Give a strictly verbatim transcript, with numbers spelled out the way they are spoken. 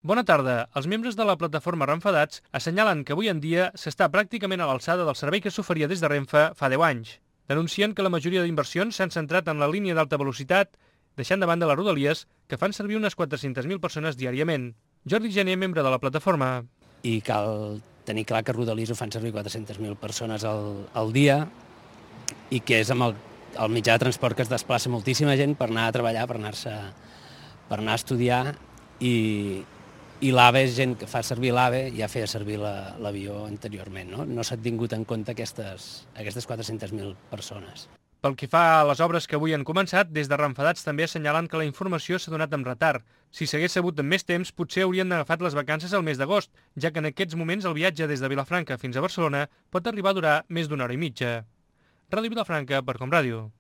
Bona tarda. Els membres de la plataforma Renfadats assenyalen que avui en dia s'està pràcticament a l'alçada del servei que s'oferia des de Renfe fa deu anys. Denuncien que la majoria d'inversions s'han centrat en la línia d'alta velocitat, deixant de banda les rodalies, que fan servir unes quatre-centes mil persones diàriament. Jordi Gené, membre de la plataforma. I cal tenir clar que Rodalies ho fan servir quatre-centes mil persones al, al dia i que és amb el, el mitjà de transport que es desplaça moltíssima gent per anar a treballar, per anar-se per anar a estudiar i, i l'AVE és gent que fa servir l'AVE i ja feia servir l'avió la, anteriorment. No, no s'han tingut en compte aquestes, aquestes quatre-centes mil persones. Pel que fa a les obres que avui han començat, des de Renfadats també assenyalen que la informació s'ha donat amb retard. Si s'hagués sabut amb més temps, potser haurien agafat les vacances al mes d'agost, ja que en aquests moments el viatge des de Vilafranca fins a Barcelona pot arribar a durar més d'una hora i mitja. Ràdio Vilafranca per Com Ràdio.